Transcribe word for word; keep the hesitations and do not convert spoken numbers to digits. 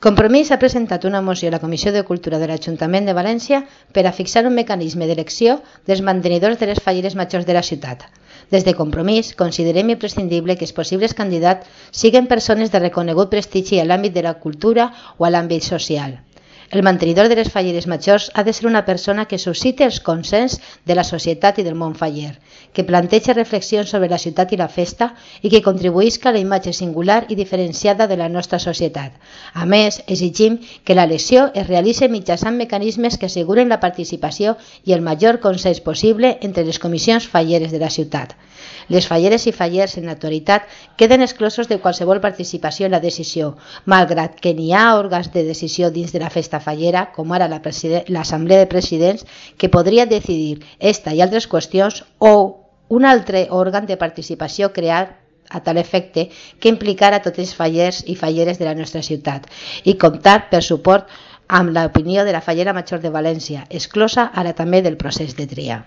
Compromís ha presentat una moció a la Comissió de Cultura de l'Ajuntament de València per a fixar un mecanisme d'elecció dels mantenidors de les falleres majors de la ciutat. Des de Compromís considerem imprescindible que els possibles candidats siguin persones de reconegut prestigi a l'àmbit de la cultura o a l'àmbit social. El mantenidor de les falleres majors ha de ser una persona que suscite els consens de la societat i del món faller, que planteja reflexions sobre la ciutat i la festa i que contribuïsca a la imatge singular i diferenciada de la nostra societat. A més, exigim que l'elecció es realitzi mitjançant mecanismes que asseguren la participació i el major consens possible entre les comissions falleres de la ciutat. Les falleres i fallers en l'actualitat queden exclosos de qualsevol participació en la decisió, malgrat que n'hi ha òrgans de decisió dins de la festa fallera, com ara l'Assemblea de Presidents, que podria decidir esta i altres qüestions, o un altre òrgan de participació creat a tal efecte que implicara tots els fallers i falleres de la nostra ciutat i comptar per suport amb l'opinió de la Fallera Major de València, exclosa ara també del procés de tria.